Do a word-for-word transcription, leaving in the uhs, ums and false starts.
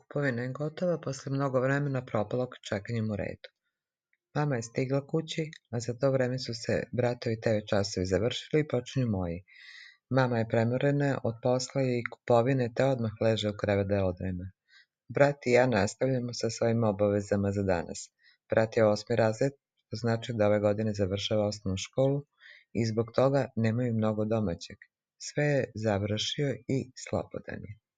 Kupovina je gotova posle mnogo vremena propalog čekanjem u redu. Mama je stigla kući, a za to vreme su se bratovi te ve časovi završili i počinju moji. Mama je premorena od posla i kupovine, te odmah leže u krevet da odrema. Brat i ja nastavljamo sa svojim obavezama za danas. Brat je osmi razred, što znači da ove godine završava osnovnu školu i zbog toga nemaju mnogo domaćeg. Sve je završio i slobodan je.